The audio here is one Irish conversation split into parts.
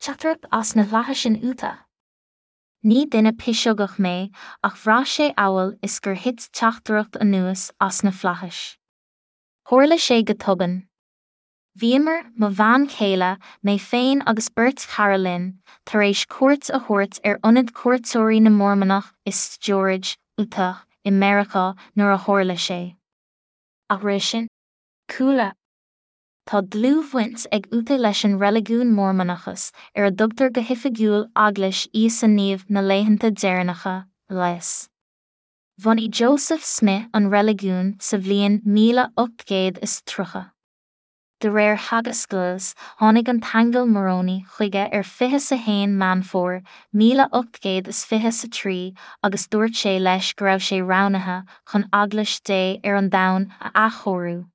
Teachtaireacht as na flaithis in Utah. Ní duine piseogach mé ach bhraith sé amhail is gur thit teachtaireacht anuas as na flaithis. Tharla sé go tobann. Bhíomar, mo bhean chéile, mé féin agus beirt chara linn, tar éis cuairt a thabhairt ar ionad cuairteoirí na Mormannach i George, Utah, i Meiriceá nuair a tharla sé. Ach roimhe sin, Cúla. Tá dlúthbhaint ag Utah leis an reiligiún Mormannachas, ar a dtugtar go hoifigiúil Eaglais Íosa Naomh na Laethanta Deireanacha, LDS. Bhunaigh Joseph Smith an reiligiún sa bhliain 1830. De réir theagasc LDS, tháinig an t-aingeal Moroni chuige ar 21 Meán Fómhair 1823 agus dúirt sé leis go raibh sé roghnaithe chun Eaglais Dé ar an domhan a athchóiriú.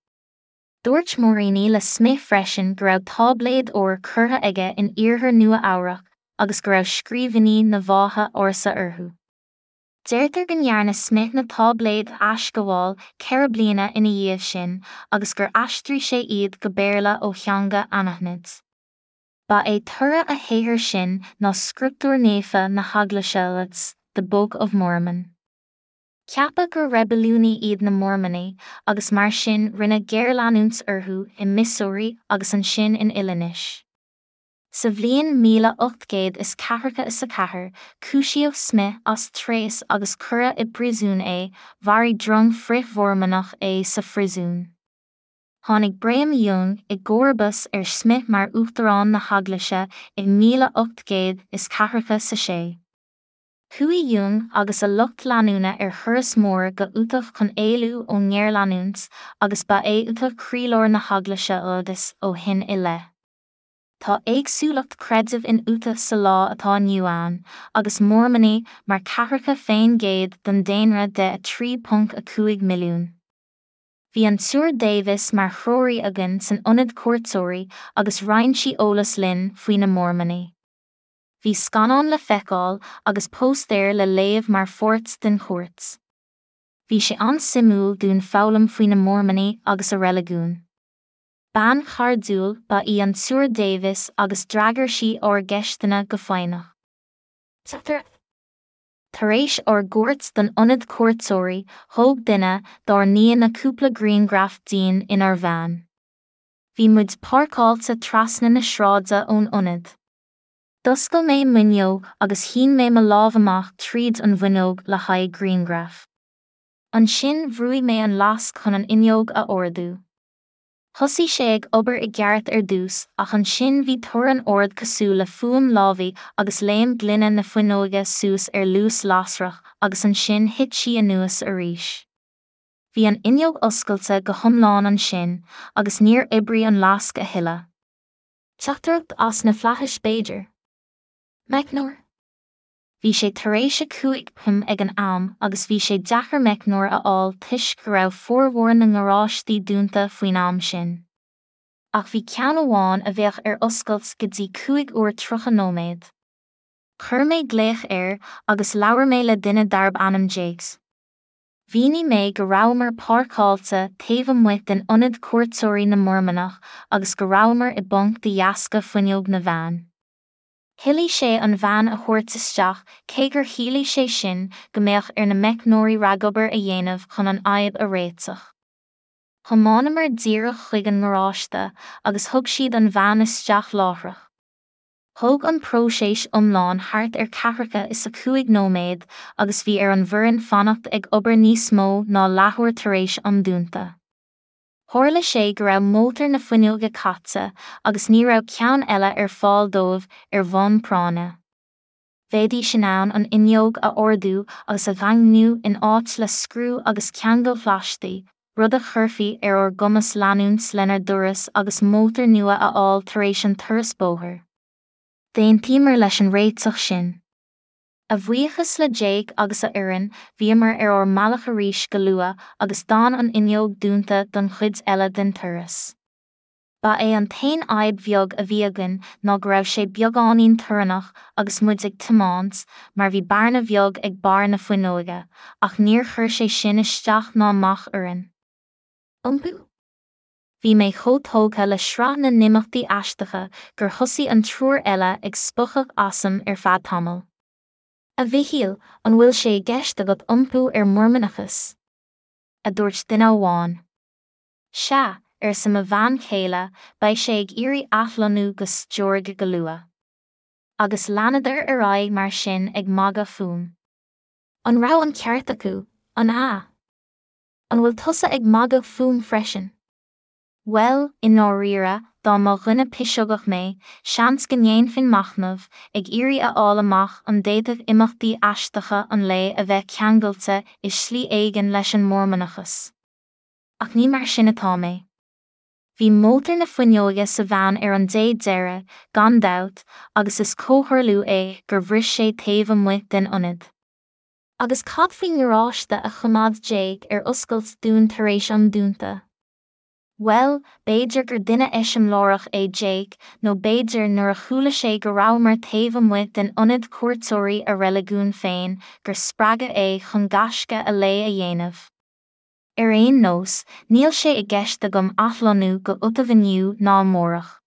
Dúirt Moroni le Smith freisin go raibh táibléid óir curtha aige in iarthar Nua-Eabhrac agus go raibh scríbhinní na bhfáithe ársa orthu. Deirtear go ndearna Smith na táibléid a aisghabháil 4 bliana ina dhiaidh sin agus gur aistrigh sé iad go Béarla ó theanga anaithnid. Ba é toradh a shaothair sin ná scrioptúr naofa na hEaglaise LDS, The Book of Mormon. Ceapadh gur reibiliúnaí iad na Mormannaigh agus mar sin rinneadh géarleanúint orthu i Missouri agus ansin in Illinois. Sa bhliain 1844, cúisíodh Smith as tréas agus cuireadh i bpríosún é, mharaigh drong frith-Mhormannach é sa phríosún. Tháinig Brigham Young i gcomharbas ar Smith mar uachtarán na hEaglaise i 1846. Chuaigh Young agus a lucht leanúna ar thuras mór go Utah chun éalú ón ngéarleanúint agus ba é Utah croílár na hEaglaise LDS ó shin i leith. Tá éagsúlacht creidimh in Utah sa lá atá inniu ann, agus Mormannaigh mar ceathracha fén gcéad den daonra de 3.5 milliún. Bhí an tSiúr Davis mar threoraí againn san ionad cuairteoirí agus roinn sí eolas linn faoi na Mormannaigh. Bhí scannán le feiceáil agus póstaer le léamh mar pháirt den chuairt. Bhí sé an-suimiúil dúinn foghlaim faoi na Mormannaigh agus a reiligiún. Bean chairdiúil ba í an tSiúr Davis agus d'fhreagair sí ár gceisteanna go foighneach. Tar éis ár gcuairt don ionad cuairteoirí, thóg duine dár n-aíonna cúpla grianghraf dínn inár veain. Bhí muid páirceáilte trasna na sráide ón ionad. D'oscail mé m'fhuinneog agus shín mé mo lámh amach tríd an bhfuinneog le haghaidh grianghraf. Ansin bhrúigh mé an lasc chun an fhuinneog a ardú. Thosaigh sé ag obair i gceart ar dtús ach ansin bhí torann ard cosúil le fuaim lámhaigh agus léim gloine na fuinneoige suas ar luas lasrach agus ansin thit sí anuas arís. Bhí an fhuinneog oscailte go hiomlán ansin agus níor oibrigh an lasc a thuilleadh. Teachtaireacht as na flaithis b'fhéidir? Meicneoir? Bhí sé tar éis 5 pm ag an am agus bhí sé deacair meicneoir a fháil toisc go raibh formhór na ngaráistí dúnta faoin am sin. Ach bhí ceann amháin a bheadh ar oscailt go dtí 5 uair 30 nóiméad. Chuir mé glaoch air agus labhair mé le duine darb ainm Jakes. Mhínigh mé go rabhamar páirceáilte taobh amuigh den ionad cuairteoirí na Mormannach agus go rabhamar i bponc de dheasca fuinneog na veain. Thoiligh sé an veain a thabhairt isteach cé gur chiallaigh sé sin go mbeadh ar na meicneoirí ragobair a dhéanamh chun an fhadhb a réiteach. Thiomáineamar díreach chuig an ngaráiste agus thug siad an veain isteach láithreach. Thóg an próiseas iomlán thart ar ceathracha is a cúig nóiméad agus bhí ar an bhfoireann fanacht ag obair níos mó ná leathuair tar éis am dúnta. Tharla sé go raibh mótar na fuinneoige caite agus ní raibh ceann eile ar fáil dóibh ar bhonn práinne. Bheidís in ann an fhuinneog a ardú agus a dhaingniú in áit le scriú agus ceangail phlaisteacha, rud a chuirfí ar ár gcumas leanúint lenár dturas agus mótar nua a fháil tar éis an turas bóthair. D'aontaíomar leis an réiteach sin. A bhuíochas le Jake agus a fhoireann, bhíomar ar ár mbealach arís go luath agus d'fhan an fhuinneog dúnta don chuid eile den turas. Ba é an t-aon fhadhb bheag a bhí againn ná go raibh sé beagáinín torannach agus muid ag tiomáint mar bhí bearna bheag ag barr na fuinneoige, ach níor chuir sé sin isteach ná amach orainn. Iompú? Bhí mé chomh tógtha le sraith na n-imeachtaí aisteacha gur thosaigh an triúr eile ag spochadh asam ar feadh tamaill. A Mhichíl, an bhfuil sé i gceist agat iompú ar Mhormannachas? a dúirt duine amháin. Sea, arsa mo bhean chéile, beidh sé ag iarraidh athlonnú go Georgia go luath. Agus leanadar ar aghaidh mar sin ag magadh fúm. An raibh an ceart acu, an ea? An bhfuil tusa ag magadh fúm freisin? Bhuel, i ndáiríre, dá mba dhuine piseogach mé, seans go ndéanfainn machnamh, ag iarraidh a fháil amach an bhféadfadh imeachtaí aisteacha an lae a bheith ceangailte i slí éigin leis an Mhormannachas. Ach ní mar sin atá mé. Bhí mótar na fuinneoige sa veain ar an dé deiridh, gan dabht, agus is comhtharlú é gur bhris sé taobh amuigh den ionad. Agus cad faoin ngaráiste a choimeád Jake ar oscailt dúinn tar éis an dúnta? Bhuel, b'fhéidir gur duine eiseamláireach é Jake, nó b'fhéidir nuair a chuala sé go rabhamar taobh amuigh den ionad cuairteoirí a reiligiúin féin, gur spreagadh é chun gaisce a lae a dhéanamh. Ar aon nós, níl sé i gceist agam athlonnú go Utah inniu ná amárach.